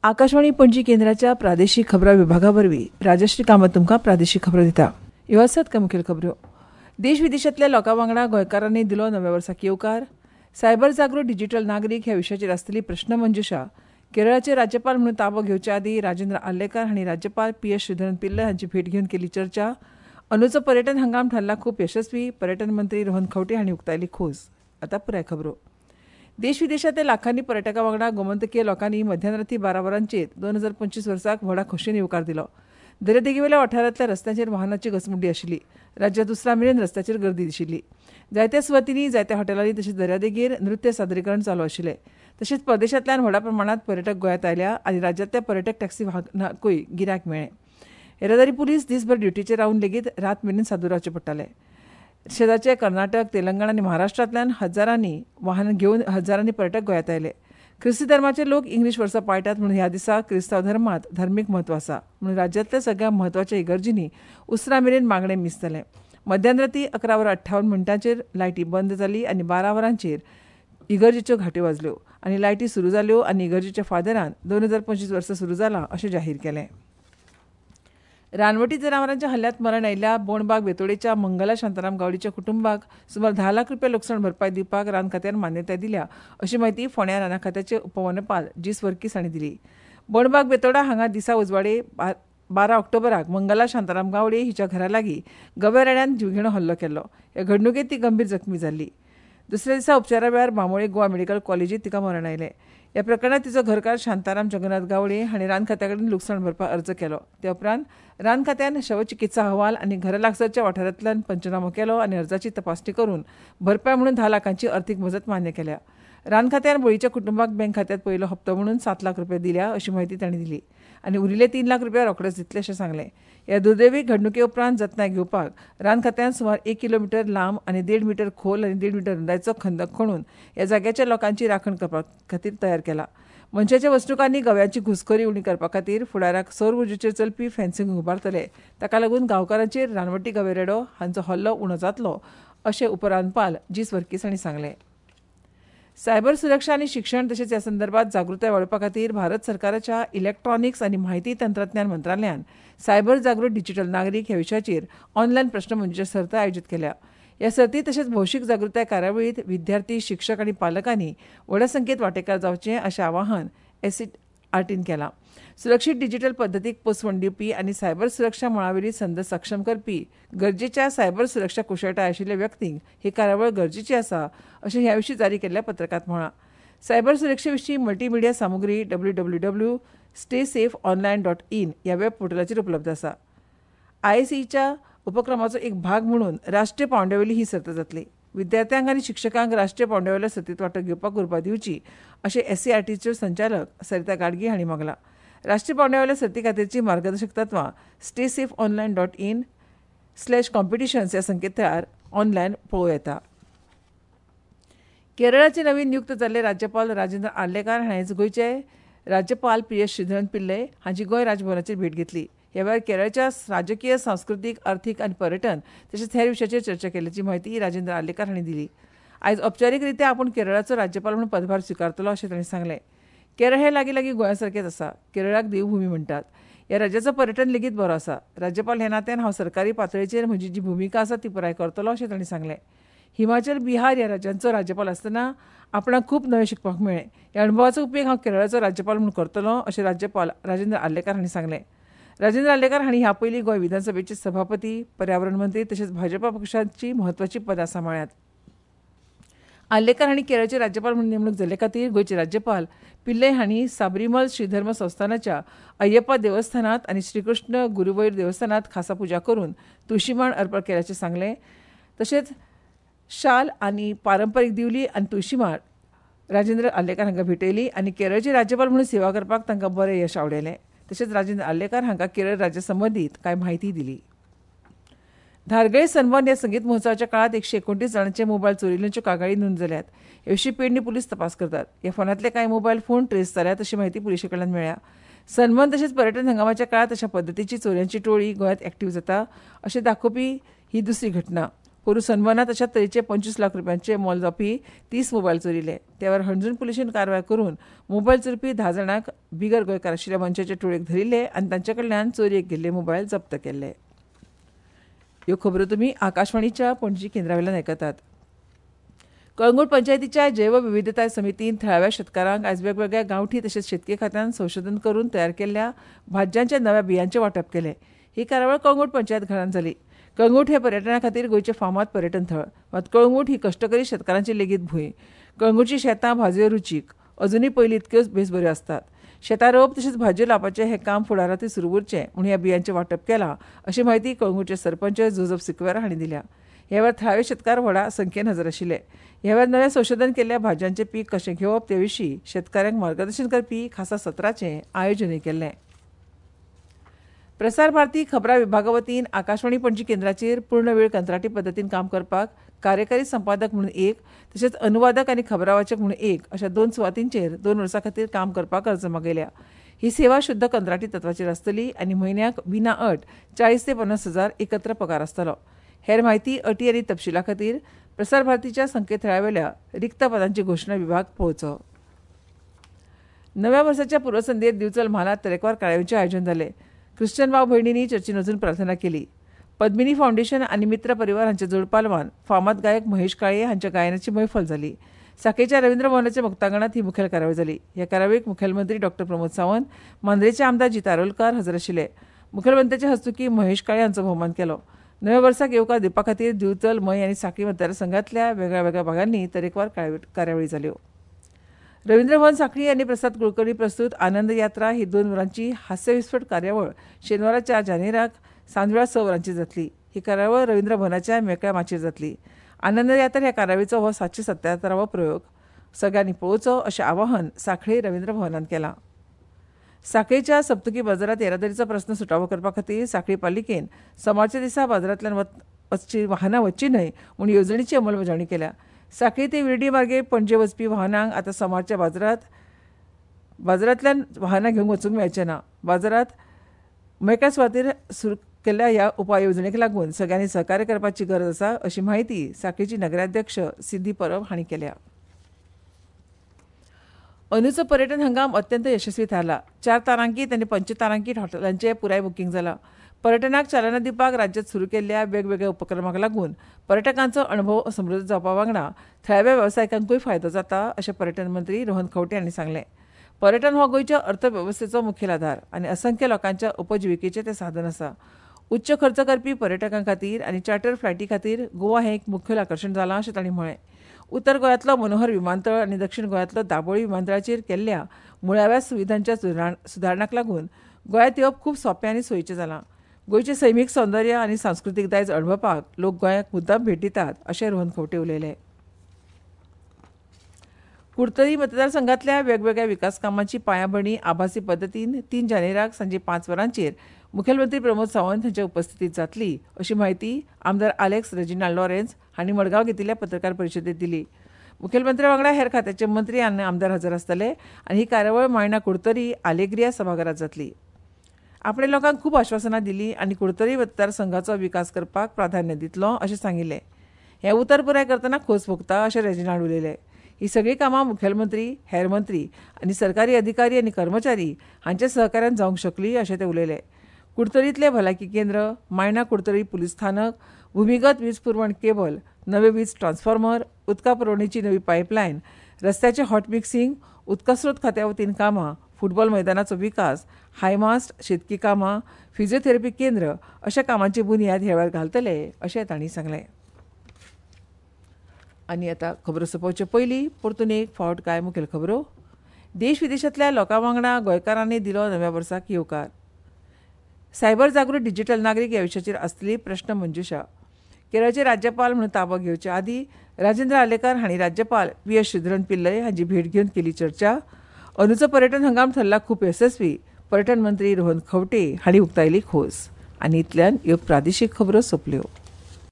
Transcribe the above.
आकाशवाणी पणजी केंद्राच्या प्रादेशीक खबरां विभागा वरवीं राजश्री कामत तुमकां प्रादेशीक खबरो दिता. ह्यो आसात कांय मुखेल खबरो. देश विदेशांतल्या लोकां वांगडा गोंयकारांनी दिलो नव्या वर्साक येवकार. सायबर जागृत डिजिटल नागरीक ह्या विशयाचेर आसतली प्रश्नमंजुशा. केरळाचे राज्यपाल म्हणून ताबो घेवचे आदीं राजेंद्र आर्लेकार हांणी राज्यपाल पी एस श्रीधरन पिल्लय हांची भेट घेवन केली चर्चा. अंदूचो पर्यटन हंगाम थारला खूब यशस्वी. पर्यटन मंत्री रोहन खंवटे हांणी उक्तायली खोस. आतां पुराय खबरो. देश विदेशांतल्या लाखांनी पर्यटकां वांगडा गोमंतकीय लोकांनी मध्यानराती 12 वरांचेर 2025 वर्साक व्हडा खोशयेन येवकार दिलो. दर्यादेगेवेल्या वाठारांतल्या रस्त्यांचेर वाहनांची घसमुड्डी आशिल्ली. राज्यांत उसरां मेरेन रस्त्याचेर गर्दी दिशिल्ली. जायत्या सुवातींनी, जायत्या हॉटेलांनी तशेंच दर्यादेगेर नृत्य सादरीकरण चालू आशिल्लें. तशेंच परदेशांतल्यान व्हडा प्रमाणांत पर्यटक गोंयांत आयल्या आनी राज्यांतल्या पर्यटक टॅक्सी वाहनांकूय गिरायक मेळ्ळें. येरादारी पुलीस दीसभर ड्युटीचेर रावन लेगीत रात मेरेन सादूर रावचें पडटालें. शेजारचे कर्नाटक, तेलंगण आनी महाराष्ट्रांतल्यान हजारांनी वाहन घेवन हजारांनी पर्यटक गोंयांत आयले. क्रिस्ती धर्माचे लोक इंग्लीश वर्सां पाळटात म्हणून ह्या दिसा क्रिस्तांव धर्मांत धर्मीक म्हत्व आसा. म्हणून राज्यांतल्या सगळ्या म्हत्वाच्या इगर्जींनी उसरां मेरेन मागणें मीस जालें. मध्यानराती 11:58 लायटी बंद जाली आनी 12 वरांचेर इगर्जेच्यो घांट्यो वाजल्यो आनी लायटी सुरू जाल्यो आनी इगर्जेच्या फादरान 2025 वर्सां सुरू जालां अशें जाहीर केलें. रानवटी जनावरांच्या हल्ल्यांत मरण आयिल्ल्या बोणबाग बेतोडेच्या मंगला शांताराम गावडीच्या कुटुंबाक सुमार 10 लाख रुपया लुकसाण भरपाय दिवपाक रान खात्यान मान्यताय दिल्या अशी म्हायती फोंड्या राना खात्याचे उपवनपाल जीस वर्कीस हांणी दिली. बोणबाग बेतोडा हांगा दिसा उजवाडे 12 ऑक्टोबराक मंगला शांताराम गावडे हिच्या घरा लागीं गव्या रेड्यान जिवघेणो हल्लो केल्लो. हे घडणुकेंत ती गंभीर जखमी जाल्ली. दुसऱ्या दिसा उपचारा वेळार बांबोळे गोवा मेडिकल कॉलेजींत तिका मरण आयलें. ह्या प्रकरणांत तिचो घरकार शांताराम जगन्नाथ गावडे हांणी रान खात्या कडेन लुकसाण भरपाक अर्ज केलो. ते उपरांत रान खात्यान शवचिकित्सा अहवाल आनी घरा लागसारच्या वाठारांतल्यान पंचनामो केलो आनी अर्जाची तपासणी करून भरपाय म्हणून 10 लाखांची अर्थीक मजत मान्य केल्या. रान खात्यान बळीच्या कुटुंबाक बँक खात्यांत पयलो हप्तो म्हणून 7 लाख रुपया दिल्या अशी म्हायती तांणी दिली आनी उरिल्ले 3 लाख रुपया रोखडेच दितले अशें सांगलें. ह्या दुर्दैवी घडणुके उपरांत जतनाय घेवपाक रान खात्यान सुमार 1 किलोमिटर लांब आनी 1.5 मिटर खोल आनी 1.5 मिटर रुंदायचो खंदक खणून ह्या जाग्याच्या लोकांची राखण करपा खातीर तयार केला. मनशाच्या वसणुकांनी गव्यांची घुसखोरी उणी करपा खातीर फुडाराक सौर उर्जेचेर चलपी फेन्सिंग उबारतले. ताका लागून गांवकारांचेर रानवटी गवे रेडो हांचो हल्लो उणो जातलो अशें उपरानपाल जीस वर्कीस हांणी सांगलें. सायबर सुरक्षा आनी शिक्षण तशेंच ह्या संदर्भात जागृताय वाडोवपा खातीर भारत सरकाराच्या इलेक्ट्रॉनिक्स आनी म्हायती तंत्रज्ञान मंत्रालयान सायबर जागृत डिजिटल नागरीक ह्या विशयाचेर ऑनलायन प्रश्नमंजुशा सर्त आयोजीत केल्या. ह्या सर्तीत तशेंच भौशीक जागृताय कार्यावळींत विद्यार्थी, शिक्षक आनी पालकांनी व्हडा संख्येत वांटेकार जावचें अशें आवाहन एससीआरटीन केलां. सुरक्षीत डिजिटल पद्दतीक पोसवण दिवपी आनी सायबर सुरक्षा मळावेली संद सक्षम करपी गरजेच्या सायबर सुरक्षा कुशळटाय आशिल्ल्या व्यक्तींक ही कार्यावळ गरजेची आसा अशें ह्या विशीं जारी केल्ल्या पत्रकांत म्हळां. सायबर सुरक्षे विशीं मल्टीमिडिया सामुग्री www.staysafeonline.in ह्या वेब पोर्टलाचेर उपलब्ध आसा. आयएसईच्या उपक्रमाचो एक भाग म्हणून राष्ट्रीय पांवड्यावेली ही सर्त जातली. विद्यार्थ्यांक आनी शिक्षकांक राष्ट्रीय पांवड्यावेल्या सर्तींत वांटो घेवपाक उर्बा दिवची अशें एससीआरटीच्यो संचालक सरिता गाडगे हांणी मागलां. राष्ट्रीय पांवड्यावेल्या सर्ती खातीरची मार्गदर्शक तत्वां staysafeonline.in/competitions ह्या संकेतथळार ऑनलायन पळोवं येता. केरळाचे नवीन नियुक्त जाल्ले राज्यपाल राजेंद्र आर्लेकार हांणी आयज गोंयचे राज्यपाल पी एस श्रीधरन पिल्लय हांची गोंय राजभवनाचेर भेट घेतली. ह्या वेळार केरळच्या राजकीय, सांस्कृतीक, अर्थीक आनी पर्यटन तशेंच हेर विशयाचेर चर्चा केल्ल्याची म्हायती राजेंद्र आर्लेकार हांणी दिली. आयज औपचारीकरित्या आपूण केरळाचो राज्यपाल म्हणून पदभार स्विकारतलो अशें तांणी सांगलें. केरळ हे लागीं लागीं गोंया सारकेंच आसा. केरळाक देवभूमी म्हणटात. ह्या राज्याचो पर्यटन लेगीत बरो आसा. राज्यपाल ह्या नात्यान हांव सरकारी पातळेचेर म्हजी जी भुमिका आसा ती पुराय करतलो अशें तांणी सांगलें. हिमाचल, बिहार ह्या राज्यांचो राज्यपाल आसतना आपणाक खूब नवें शिकपाक मेळ्ळें. ह्या अणभवाचो उपेग हांव केरळाचो राज्यपाल म्हणून करतलो अशें राज्यपाल राजेंद्र आर्लेकार हांणी सांगलें. राजेंद्र आर्लेकार हांणी ह्या पयलीं गोंय विधानसभेचे सभापती, पर्यावरण मंत्री तशेंच भाजपा पक्षाची म्हत्वाचीं पदां सांबाळ्ळ्यांत. आर्लेकार हांणी केरळचे राज्यपाल म्हणून नेमणूक जाल्ले खातीर गोंयचे राज्यपाल पिल्लय हांणी साबरीमल श्रीधर्म संस्थानाच्या अय्यप्पा देवस्थानांत आनी श्रीकृष्ण गुरुवैर देवस्थानांत खासा पुजा करून तुळशीमाळ अर्पण केल्याचें सांगलें. तशेंच शाल आनी पारंपारीक दिवली आनी तुळशीमाळ राजेंद्र आर्लेकार हांकां भेटयली आनी केरळचे राज्यपाल म्हणून सेवा करपाक तांकां बरें यश आवडयलें. तशेंच राजेंद्र आर्लेकार हांकां केरळ राज्या संबंदीत कांय म्हायती दिली. धारगळे सन्मान ह्या संगीत महोत्सवाच्या काळात 129 जाणांचे मोबायल चोरिल्ल्याच्यो कागाळी नोंद जाल्यात. हे विशीं पेडणे पुलीस तपास करतात. ह्या फोनांतले कांय मोबायल फोन ट्रेस जाल्यात अशी म्हायती पुलिशे कडल्यान मेळ्ळ्या. सन्मान तशेंच पर्यटन हंगामाच्या काळात अशा पद्दतीची चोरयांची टोळी गोंयांत एक्टिव्ह जाता अशें दाखोवपी ही दुसरी घटना. पोरूं सनबर्नांत अशाच तरेचे 25 लाख रुपयांचे मोल जावपी 30 मोबायल चोरिल्ले. त्यावेळार हणजूण पुलिशेन कारवाय करून मोबायल चोरपी 10 जाणांक बिगर गोंयकार आशिल्ल्या मनशाचे टोळयेक धरिल्ले आनी तांचे कडल्यान चोरयेक गेल्ले मोबायल जप्त केल्ले. ह्यो खबरो तुमी आकाशवाणीच्या पणजी केंद्रावेल्यान आयकतात. कळंगूट पंचायतीच्या जैवविविधताय समितीन थळाव्या शेतकारांक आयज वेगवेगळ्या गांवठी तशेंच शेतकी खात्यान संशोधन करून तयार केल्ल्या भाजयांच्या नव्या बियांचें वांटप केलें. ही कार्यावळ कळंगूट पंचायत घरांत जाली. कळंगूट हें पर्यटना खातीर गोंयचें फामाद पर्यटन थळ, मात कळंगूट ही कश्टकरी शेतकारांची लेगीत भूंय. कळंगूटची शेतां भाजयो रुचीक अजुनूय पयलीं इतक्योच बेस बऱ्यो आसतात. शेतां रोवप तशेंच भाजयो लावपाचें हें काम फुडारांतूय सुरू उरचें म्हूण ह्या बियांचें वांटप केलां अशी म्हायती कळंगूटचे सरपंच जोजफ सिक्वेरा हांणी दिल्या. ह्या वेळार थळावे शेतकार व्हडा संख्येन हजर आशिल्ले. ह्या वेळार नव्या संशोधन केल्ल्या भाजयांचें पीक कशें घेवप ते विशीं शेतकारांक मार्गदर्शन करपी खासा सत्राचें आयोजनूय केल्लें. प्रसार भारती खबरां विभागा वतीन आकाशवाणी पणजी केंद्राचेर पूर्ण वेळ कंत्राटी पद्दतीन काम करपाक कार्यकारी संपादक म्हणून एक तशेंच अनुवादक आनी खबरावाचक म्हणून एक अशा 2 सुवातींचेर 2 वर्सां खातीर काम करपाक अर्ज मागयल्या. ही सेवा शुद्ध कंत्राटी तत्वाचेर आसतली आनी म्हयन्याक विना अट 40 ते 50 हजार एकत्र पगार आसतलो. हेर म्हायती, अटी आनी तपशिला खातीर प्रसार भारतीच्या संकेतथळावेल्या रिक्त पदांची घोशणा विभाग पळोवचो. नव्या वर्साच्या पूर्वसंध्येर दिवचल म्हालांत तरेकवार कार्यावळींचें आयोजन जालें. ख्रिश्चन भाव भयणींनी चर्चीन वचून प्रार्थना केली. पद्मिनी फावंडेशन आनी मित्र परिवार हांच्या जोडपालवान फामाद गायक महेश काळे हांच्या गायनाची मैफल जाली. साखळेच्या रवींद्र भवनाच्या मुक्तांगणांत ही मुखेल कार्यावळ जाली. ह्या कार्यावळीक मुखेलमंत्री डॉ प्रमोद सावंत, मांद्रेचे आमदार जीत आरोलकार हजर आशिल्ले. मुखेलमंत्र्याच्या हस्तुकीं महेश काळे हांचो भोवमान केलो. नव्या वर्साक येवकार दिवपा खातीर दिवचल, मयें आनी साखळी मतदारसंघांतल्या वेगळ्यावेगळ्या भागांनी तरेकवार कार्यावळी जाल्यो. रवींद्र भवन साखळी आनी प्रसाद कुलकर्णी प्रस्तुत आनंद यात्रा ही 2 वरांची हास्यविस्फट कार्यावळ शेनवारा 4 जानेराक सांजवेळा 6 वरांची जातली. ही कार्यावळ रवींद्र भवनाच्या मेकळ्या माचयेर जातली. आनंद यात्रा ह्या कार्यावळीचो हो 777वो प्रयोग सगळ्यांनी पळोवचो अशें आवाहन साखळी रवींद्र भवनान केलां. साखळीच्या सप्तकी बाजारांत येरादारीचो प्रस्न सुटावो करपा खातीर साखळी पालिकेन सोमारच्या दिसा बाजारांतल्यान वचची वाहनां वचची न्हय म्हूण येवजणेची अंमलबजावणी केल्या. साखळी ते विर्डी मार्गे पणजे वचपी वाहनांक आतां सोमारच्या बाजारांतल्यान वाहनां घेवंक वचूंक मेळचें ना. बाजारांत मेकळ्या सुवातेर सुरू केल्ल्या ह्या उपाय येवजणेक लागून सगळ्यांनी सहकार्य करपाची गरज आसा अशी म्हायती साखळीची नगराध्यक्ष सिद्धी परब हांणी केल्या. अंदूचो पर्यटन हंगाम अत्यंत यशस्वी थारला. 4 तारांकीत आनी पंचतारांकीत हॉटेलांचें पुराय बुकींग जालां. पर्यटनाक चालना दिवपाक राज्यांत सुरू केल्ल्या वेगवेगळ्या उपक्रमांक लागून पर्यटकांचो अणभव समृद्ध जावपा वांगडा थळाव्या वेवसायिकांकूय फायदो जाता अशें पर्यटन मंत्री रोहन खंवटे हांणी सांगलें. पर्यटन हो गोंयच्या अर्थवेवस्थेचो मुखेल आधार आनी असंख्य लोकांच्या उपजिविकेचें तें साधन आसा. उच्च खर्च करपी पर्यटकां खातीर आनी चार्टर फ्लायटी खातीर गोवा हें एक मुखेल आकर्शण जालां अशें तांणी म्हळें. उत्तर गोंयांतलो मनोहर विमानतळ आनी दक्षिण गोंयांतलो दाबोळी विमानतळाचेर केल्ल्या मुळाव्या सुविधांच्या सुदारणांक लागून गोंयांत येवप खूब सोंपें आनी सोयीचें जालां. गोंयचें सैमीक सौंदर्य आनी सांस्कृतीक दायज अणभवपाक लोक गोंयाक मुद्दाम भेट दितात अशें रोहन खंवटे उलयले. कुडतरी मतदारसंघांतल्या वेगवेगळ्या विकास कामांची पांयाभरणी आभासी पद्दतीन 3 जानेराक सांजे 5 वरांचेर मुखेलमंत्री प्रमोद सावंत हांच्या उपस्थितींत जातली अशी म्हायती आमदार आलेक्स रेजिनाल्ड लॉरेन्स हांणी मडगांव घेतिल्ल्या पत्रकार परिशदेंत दिली. मुखेलमंत्र्या वांगडा हेर खात्याचे मंत्री आनी आमदार हजर आसतले आनी ही कार्यावळ मायणा कुडतरी आलेग्रिया सभाघरांत जातली. आपणे लोकांक खूब आश्वासनां दिलीं आनी कुडतरी मतदारसंघाचो विकास करपाक प्राधान्य दितलो अशें सांगिल्लें. हें उतर पुराय करतना खोस भोगता अशें रेजिनाल्ड उलयले. ही सगळीं कामां मुखेलमंत्री, हेर मंत्री आनी सरकारी अधिकारी आनी कर्मचारी हांच्या सहकार्यान जावंक शकली अशें ते उलयले. कुडतरींतलें भलायकी केंद्र, मायणा कुडतरी पुलीस स्थानक, भुमिगत वीज पुरवण केबल, नवे वीज ट्रान्सफॉर्मर, उदका पुरवणेची नवी पायपलायन, रस्त्याचें हॉट मिक्सिंग, उदकास्रोत खात्या वतीन कामां, फुटबॉल मैदानाचो विकास, हायमास्ट, शेतकी कामां, फिजिओथेरपी केंद्र अशा कामांची बुन्याद ह्या वेळार घालतले अशें तांणी सांगलें. आनी आतां खबरो सोंपोवचे पयलीं परतून एक फावट कांय मुखेल खबरो. देश विदेशांतल्या लोकां वांगडा गोंयकारांनी दिलो नव्या वर्साक येवकार. सायबर जागृत डिजिटल नागरीक ह्या विशयाचेर आसतली प्रश्न मंजुशा. केरळचे राज्यपाल म्हणून ताबो घेवचे आदीं राजेंद्र आर्लेकर हांणी राज्यपाल पी एस श्रीधरन पिल्लय हांची भेट घेवन केली चर्चा. अंदूचो पर्यटन हंगाम ठरला खूब येसस्वी, पर्यटन मंत्री रोहन खंवटे हांणी उक्तायली खोस. आनी इतल्यान ह्यो प्रादेशीक खबरो सोंपल्यो.